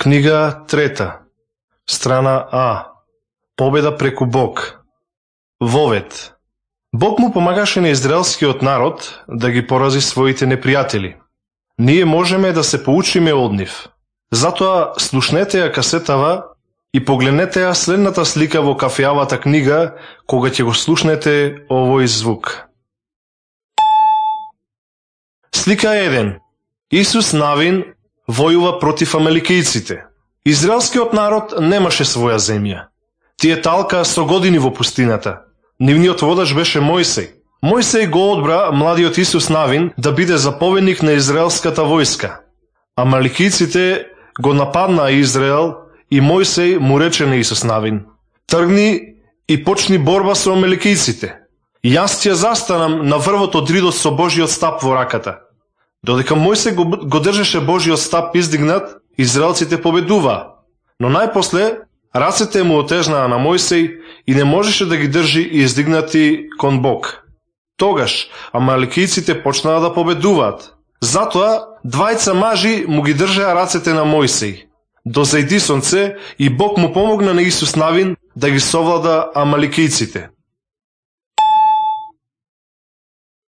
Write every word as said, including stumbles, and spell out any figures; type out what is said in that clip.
Книга трета, страна А. Победа преку Бог. Вовет. Бог му помагаше на израелскиот народ да ги порази своите непријатели. Ние можеме да се поучиме од нив. Затоа слушнете ја касетава и погледнете ја следната слика во кафеавата книга кога ќе го слушнете овој звук. Слика еден. Исус Навин војува против амаликијците. Израелскиот народ немаше своја земја. Тие талка со години во пустината. Нивниот водач беше Мојсей. Мојсей го одбра младиот Исус Навин да биде заповедник на израелската војска. Амаликијците го нападнаа Израел и Мојсей му рече на Исус Навин: тргни и почни борба со амаликијците. Јас ќе застанам на врвот од ридот со Божиот стап во раката. Додека Мојсей го, го држеше Божиот стап издигнат, израелците победуваа. Но најпосле рацете му отежнаа на Мојсей и не можеше да ги држи издигнати кон Бог. Тогаш амаликијците почнаа да победуваат. Затоа двајца мажи му ги држаа рацете на Мојсей. Дозајди сонце и Бог му помогна на Исус Навин да ги совлада амаликијците.